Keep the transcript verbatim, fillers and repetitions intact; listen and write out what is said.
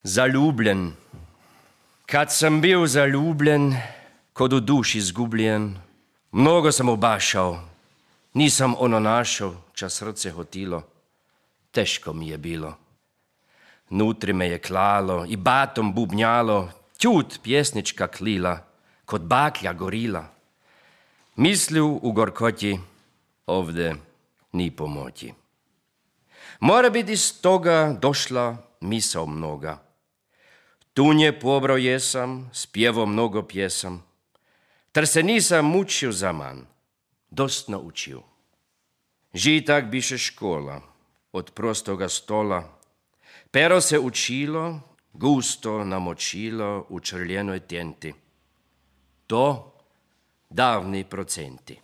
Zaljubljen. Kad sam bio zaljubljen, kod u duši izgubljen, mnogo sam obašao, nisam ono našao, ča srce hotilo. Teško mi je bilo. Nutri me je klalo i batom bubnjalo, tjut pjesnička klila, kod baklja gorila. Mislju u gorkoti, ovde ni pomoći. Mora biti iz toga došla misao mnoga. Tu nje pobrao jesam, spjevo mnogo pjesam, ter se nisam mučio za man, dost naučio. Žitak biše škola, od prostoga stola, pero se učilo, gusto namočilo u črljenoj tenti. To davni procenti.